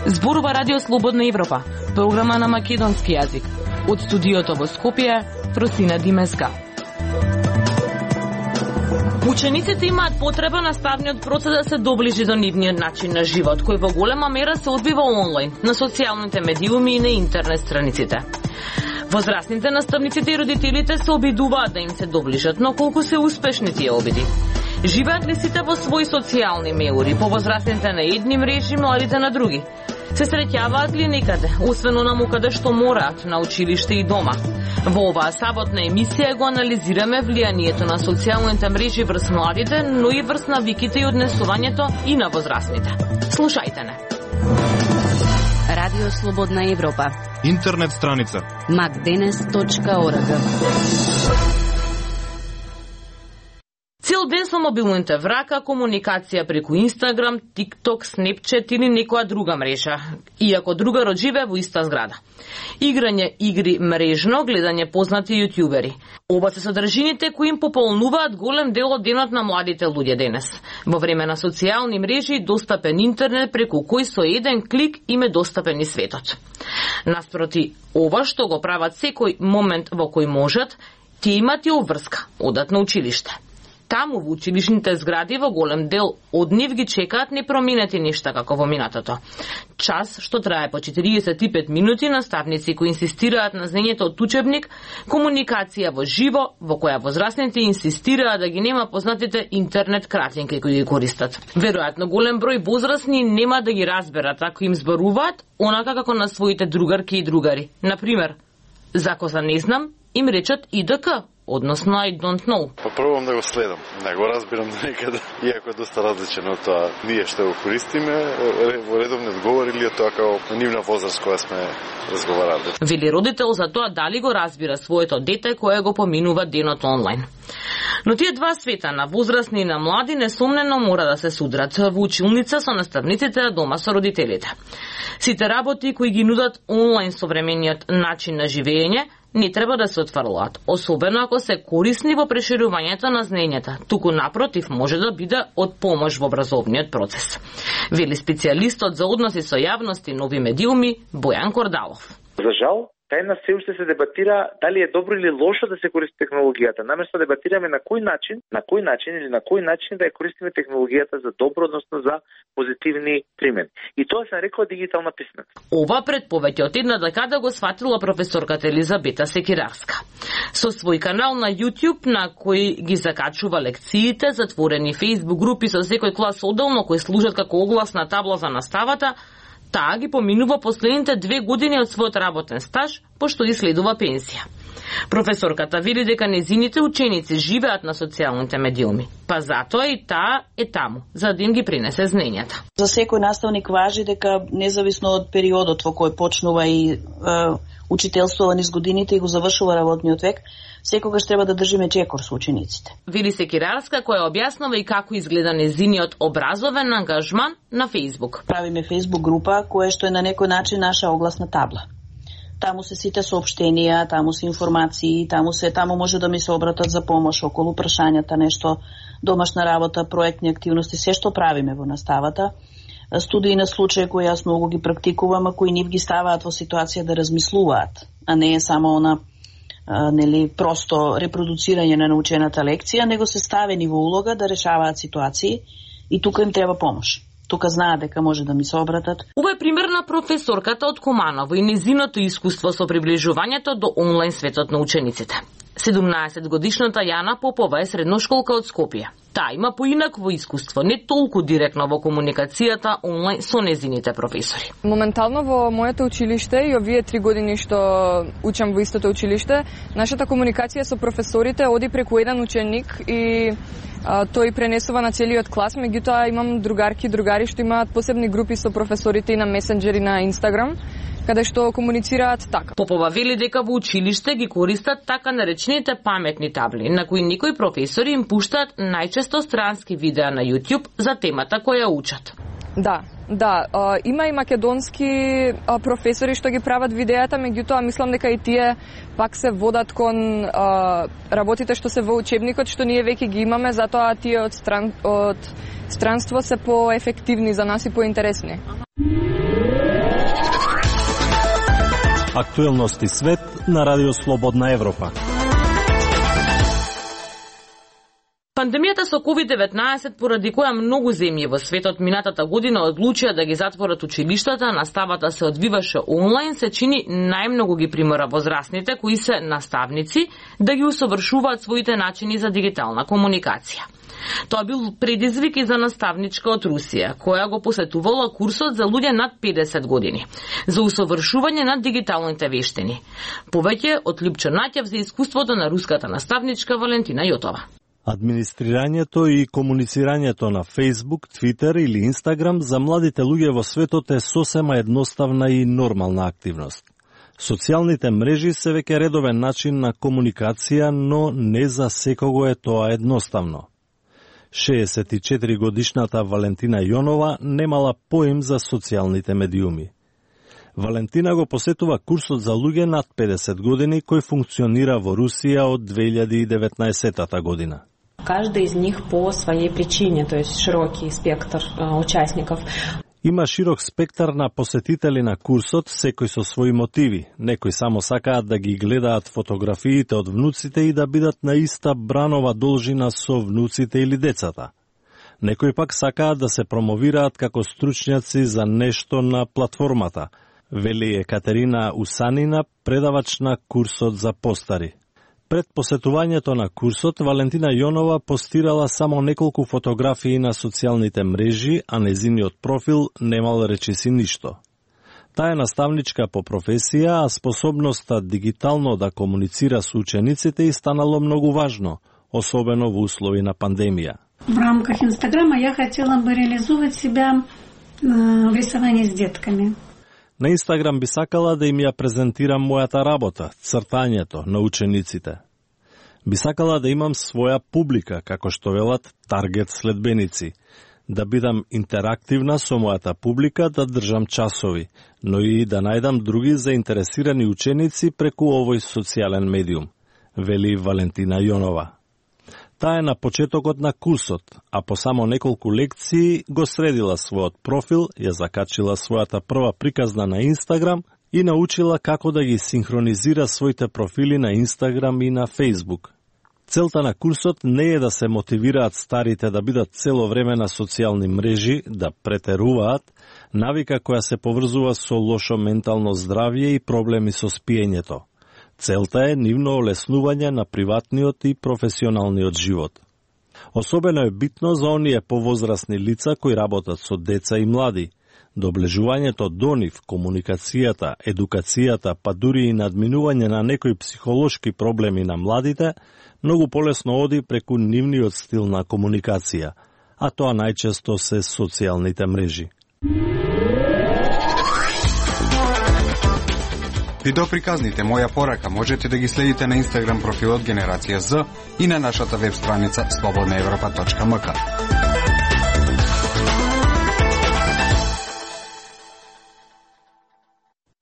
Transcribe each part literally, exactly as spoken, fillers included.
Зборува Радио Слободна Европа, програма на македонски јазик. Од студиото во Скопје, Просина Димеска. Учениците имаат потреба наставниот процес да се доближи до нивниот начин на живот, кој во голема мера се одвива онлайн, на социјалните медиуми и на интернет страниците. Возрастните наставниците и родителите се обидуваат да им се доближат, но колку се успешни тие обиди? Живеат ли сите во своји социјални меури, повозрастните на едни мрежи, младите на други? Се среќаваат ли некаде, освен онаму каде што мораат, на училиште и дома? Во оваа саботна емисија го анализираме влијанието на социјалните мрежи врз младите, но и врз навиките и однесувањето и на возрастните. Слушајте не. Радио Слободна Европа. Интернет страница макденес точка орг. Цел ден со мобилните в рака, комуникација преку Инстаграм, ТикТок, Снепчет или некоја друга мрежа, иако другарот живее во иста зграда. Играње игри мрежно, гледање познати јутјубери. Оба се содржините кои им пополнуваат голем дел од денот на младите луѓе денес. Во време на социјални мрежи и достапен интернет преку кој со еден клик им е достапен и светот. Наспроти ова што го прават секој момент во кој можат, тие имат и обврска, одат на училиште. Таму во училишните згради во голем дел од нив ги чекаат непроменети нешта како во минатото. Час што трае по четириесет и пет минути, наставници кои инсистираат на знаењето од учебник, комуникација во живо, во која возрастните инсистираат да ги нема познатите интернет кратинки кои ги користат. Веројатно голем број возрастни нема да ги разберат ако им зборуваат онака како на своите другарки и другари. Например, за коза не знам, им речат И Д К, односно I don't know. Попробувам да го следам, не го разбирам до некаде, иако е доста различно од тоа ние што го користиме во редовни одговори или тоа како нивна возраст која сме разговарали. Вели родител за тоа дали го разбира своето дете кое го поминува денот онлайн. Но тие два света, на возрастни и на млади, несомнено мора да се судрат во училница со наставниците, а дома со родителите. Сите работи кои ги нудат онлайн современиот начин на живење не треба да се отфрлаат, особено ако се корисни во преширувањето на знаењата, туку напротив може да биде од помош во образовниот процес. Вели специјалистот за односи со јавност и нови медиуми Бојан Кордалов. За жал, тајна се уште се дебатира дали е добро или лошо да се користи технологијата. Наместо да дебатираме на кој начин, на кој начин или на кој начин да ја користиме технологијата за добро, односно за позитивни примени. И тоа се нарекува дигитална писменост. Ова пред повеќе од една декада го сфатила професорката Елизабета Секирарска. Со свој канал на YouTube на кој ги закачува лекциите, затворени Facebook групи со секој клас одделно кои служат како огласна табла за наставата, таа ги поминува последните две години од својот работен стаж, пошто и следува пенсија. Професорката вели дека незините ученици живеат на социјалните медиуми, па затоа и таа е таму, за да им ги принесе знаењата. За секој наставник важи дека независно од периодот во кој почнува и е, учителствува низ годините и го завршува работниот век, секогаш треба да држиме чекор со учениците. Вели Секирарска, која објаснува и како изгледа незиниот образовен ангажман на Facebook. Правиме Facebook група која што е на некој начин наша огласна табла. Таму се сите соопштенија, таму се информации, таму се таму може да ми се обратат за помош околу прашањата, нешто домашна работа, проектни активности, се што правиме во наставата. Студии на случаи кои јас многу ги практикувам, а кои нив ги ставаат во ситуација да размислуваат, а не е само она а, нели просто репродуцирање на научената лекција, него се ставени во улога да решаваат ситуации и тука им треба помош. Тука знаат дека може да ми се обратат. Ова е пример на професорката од Команово и незиното искуство со приближувањето до онлайн светот на учениците. седумнаесет годишната Јана Попова е средношколка од Скопје. Таа има поинакво искуство, не толку директно во комуникацијата онлайн со незините професори. Моментално во моето училиште и овие три години што учам во истото училиште, нашата комуникација со професорите оди преку еден ученик и а, тој пренесува на целиот клас, меѓутоа имам другарки и другари што имаат посебни групи со професорите и на месенџери на Инстаграм, каде што комуницираат така. Попова вели дека во училиште ги користат така наречените паметни табли, на кои некои професори им пуштаат најчесто странски видеа на YouTube за темата која учат. Да, да, а, има и македонски а, професори што ги прават видеата, меѓутоа мислам дека и тие пак се водат кон а, работите што се во учебникот, што ние веќе ги имаме, затоа тие од, стран, од странство се поефективни за нас и поинтересни. Актуелности свет на Радио Слободна Европа. Пандемијата со ковид деветнаесет, поради која многу земји во светот минатата година одлучија да ги затворат училиштата, наставата се одвиваше онлайн, се чини најмногу ги примора возрастните кои се наставници да ги усовршуваат своите начини за дигитална комуникација. Тоа бил предизвик и за наставничка од Русија, која го посетувала курсот за луѓе над педесет години за усовршување на дигиталните вештини. Повеќе од Лјупчо Наќев за искуството на руската наставничка Валентина Јотова. Администрирањето и комуницирањето на Facebook, Twitter или Instagram за младите луѓе во светот е сосема едноставна и нормална активност. Социјалните мрежи се веќе редовен начин на комуникација, но не за секого е тоа едноставно. шеесет и четири годишната Валентина Јонова немала поим за социјалните медиуми. Валентина го посетува курсот за луѓе над педесет години кој функционира во Русија од две илјади и деветнаесетата година. Каждый из них по своей причине, то есть широкий спектр э, участников. Има широк спектар на посетители на курсот, секој со своји мотиви. Некои само сакаат да ги гледаат фотографиите од внуците и да бидат на иста бранова должина со внуците или децата. Некои пак сакаат да се промовираат како стручњаци за нешто на платформата, вели Екатерина Усанина, предавач на курсот за постари. Пред посетувањето на курсот, Валентина Јонова постирала само неколку фотографии на социјалните мрежи, а незиниот профил немал речиси ништо. Таа е наставничка по професија, а способноста дигитално да комуницира со учениците и станало многу важно, особено во услови на пандемија. В рамках Инстаграма ја хотела бы реализувать себя в рисовании с детками. На Инстаграм би сакала да им ја презентирам мојата работа, цртањето на учениците. Би сакала да имам своја публика, како што велат таргет следбеници, да бидам интерактивна со мојата публика, да држам часови, но и да најдам други заинтересирани ученици преку овој социјален медиум, вели Валентина Јонова. Таа е на почетокот на курсот, а по само неколку лекции го средила својот профил, ја закачила својата прва приказна на Инстаграм и научила како да ги синхронизира своите профили на Инстаграм и на Фејсбук. Целта на курсот не е да се мотивираат старите да бидат цело време на социјални мрежи, да претеруваат, навика која се поврзува со лошо ментално здравје и проблеми со спиењето. Целта е нивно олеснување на приватниот и професионалниот живот. Особено е битно за оние повозрасни лица кои работат со деца и млади. Доближувањето до нив, комуникацијата, едукацијата, па дури и надминување на некои психолошки проблеми на младите, многу полесно оди преку нивниот стил на комуникација, а тоа најчесто се социјалните мрежи. Видеоприказните Моја порака можете да ги следите на Инстаграм профилот Генерација З и на нашата веб страница слободна европа точка ем ка.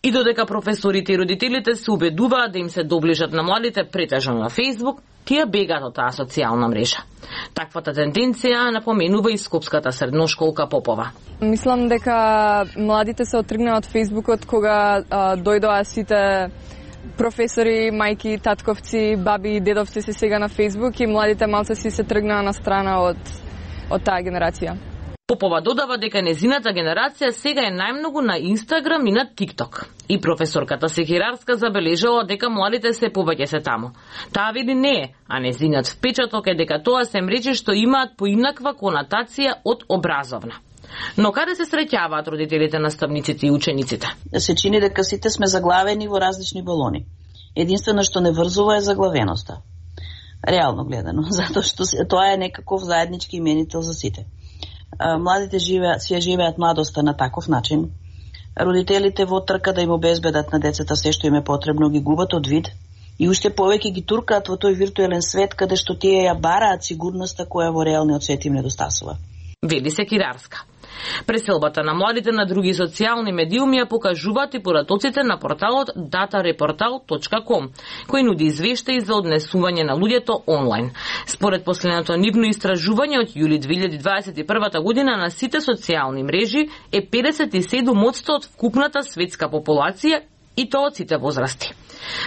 И додека професорите и родителите се убедуваат да им се доближат на младите претежно на Фејсбук, тие бегаат од таа социјална мрежа. Таквата тенденција напоменува и скопската средношколка Попова. Мислам дека младите се оттргнаа од Фејсбукот кога а, дојдоа сите професори, мајки, татковци, баби и дедовци се сега на Фејсбук и младите малце си се тргнаа на страна од, од таа генерација. Попова додава дека незината генерација сега е најмногу на Инстаграм и на ТикТок. И професорката Секирарска забележала дека младите се повеќе се таму. Таа вели не е, а незинат впечаток е дека тоа се мрежи што имаат поинаква конотација од образовна. Но каде се среќаваат родителите, наставниците и учениците? Се чини дека сите сме заглавени во различни балони. Единствено што не врзува е заглавеноста. Реално гледано, затоа што тоа е некаков заеднички именител за сите. Младите живеат, си живеат младоста на таков начин. Родителите во трка да им обезбедат на децата се што им е потребно ги губат од вид и уште повеќе ги туркаат во тој виртуелен свет каде што тие ја бараат сигурноста која во реалниот свет им недостасува. Вели Секирарска. Преселбата на младите на други социјални медиуми ја покажуваат и поратоците на порталот дата репортал точка ком, кој нуди извештаи за однесување на луѓето онлайн. Според последното нивно истражување од јули две илјади дваесет и прва година на сите социјални мрежи е педесет и седум одсто од вкупната светска популација и тоа од сите возрасти.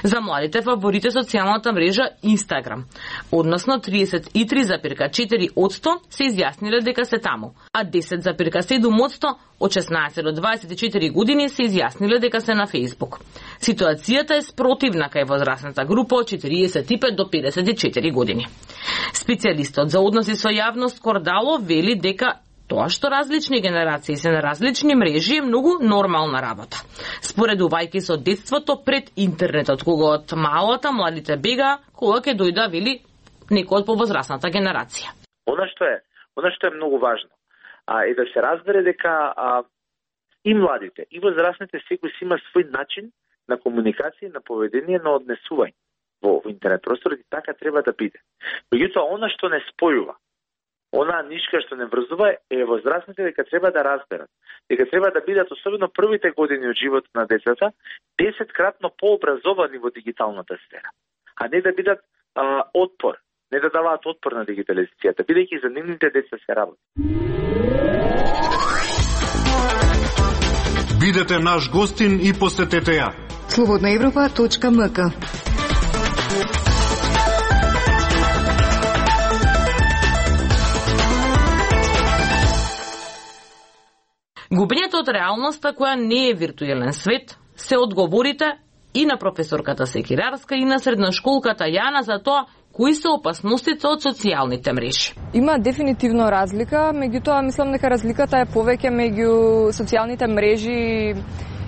За младите фаворит е социјалната мрежа Instagram, односно триесет и три зарез и четири одсто се изјасниле дека се таму, а десет зарез и седум одсто од шеснаесет до дваесет и четири години се изјасниле дека се на Facebook. Ситуацијата е спротивна кај возрастната група од четириесет и пет до педесет и четири години. Специјалистот за односи со јавност Кордало вели дека тоа што различни генерации се на различни мрежи е многу нормална работа. Споредувајќи со детството пред интернетот, кога од малата младите бега, кога ќе дојда, вели, некој од повозрастната генерација. Она што е, она што е многу важно, а, е да се разбере дека а, и младите, и возрастните секој си има свој начин на комуникација и на поведение, на однесување во, во интернет просторот, и така треба да биде. Меѓутоа, она што не спојува, она нишка што не врзува, е возрастните дека треба да разберат, дека треба да бидат, особено првите години од животот на децата, десеткратно пообразовани во дигиталната сфера, а не да бидат а, отпор, не да даваат отпор на дигитализацијата, бидејќи за нивните деца се работи. Бидете наш гостин и посетете ја. слободна европа точка ем ка. Губењето од реалноста која не е виртуелен свет се одговорите и на професорката Секирарска и на средношколката Јана за тоа кои се опасностите од социјалните мрежи. Има дефинитивно разлика, меѓутоа мислам дека разликата е повеќе меѓу социјалните мрежи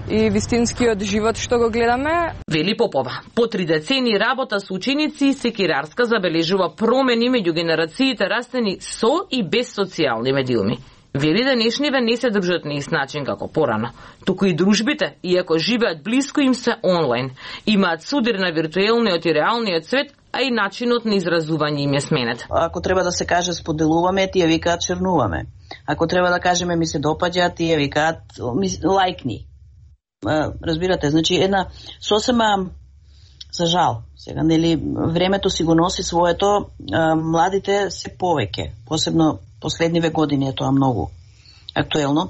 и вистинскиот живот што го гледаме. Вели Попова. По три децени работа со ученици, Секирарска забележува промени меѓу генерациите растени со и без социјални медиуми. Вели денешниве не се дружат на ист начин како порано, туку и дружбите, иако живеат блиско, им се онлайн. Имаат судир на виртуелниот и реалниот свет, а и начинот на изразување им е сменет. Ако треба да се каже споделуваме, тие викаат чернуваме. Ако треба да кажеме ми се допаѓа, тие викаат лајкни. Разбирате, значи една сосема за жал. Сега нели времето си го носи своето, младите се повеќе, посебно последниве години е тоа многу актуелно.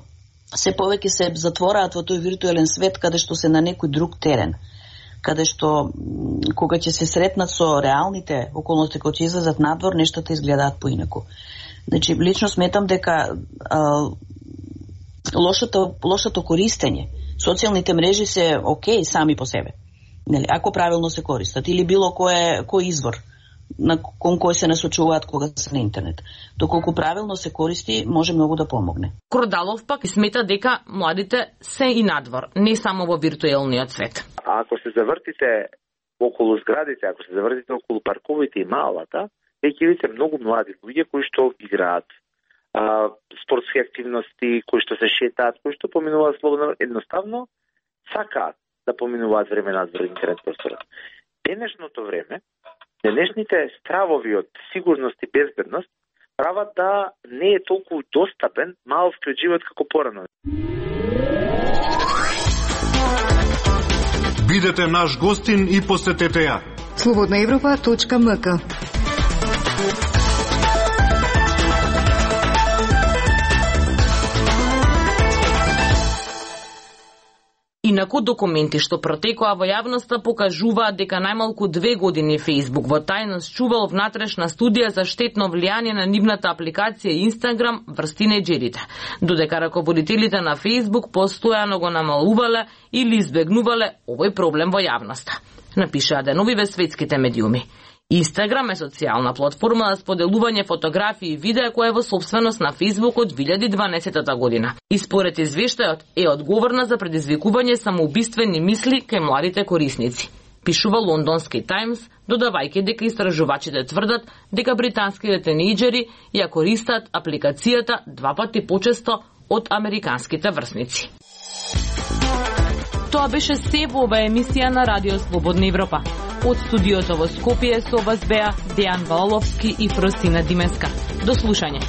Се повеќе се затвораат во тој виртуелен свет каде што се на некој друг терен, каде што кога ќе се сретнат со реалните околности, кога ќе излезат надвор, нештата изгледаат поинаку. Значи, лично сметам дека а, лошото, лошото користење, социјалните мрежи се окей сами по себе, нели, ако правилно се користат, или било кој, кој извор на кон кој се насочуваат кога се на интернет. Доколку правилно се користи, може многу да помогне. Кордалов пак смета дека младите се и надвор, не само во виртуелниот свет. А ако се завртите околу зградите, ако се завртите околу парковите и малата, веќе видите многу млади луѓе кои што играат а, спортски активности, кои што се шетаат, кои што поминуваат слободно, едноставно сакаат да поминуваат време надвор интернет просторот. Денешното време, денешните стравови од сигурност и безбедност прават да не е толку достапен маловскиот живот како порано. Бидете наш гостин и посетете ја. слободна европа точка ем ка. Инаку документи што протекоа во јавноста покажуваат дека најмалку две години Facebook во тајност чувал внатрешна студија за штетно влијание на нивната апликација Instagram врз тинејџерите, додека раководителите на Facebook постојано го намалувале или избегнувале овој проблем во јавноста, напишаа деновиве светските медиуми. Instagram е социјална платформа за споделување фотографии и видеа која е во собственост на Facebook од две илјади и дванаесетта година. И според извештајот е одговорна за предизвикување самоубиствени мисли кај младите корисници. Пишува лондонски Таймс, додавајќи дека истражувачите тврдат дека британските тинејџери ја користат апликацијата два пати почесто од американските врсници. Тоа беше се во оваа емисија на Радио Слободна Европа. Од студиото во Скопје со вас беа Дејан Валовски и Фросина Димеска. До слушање.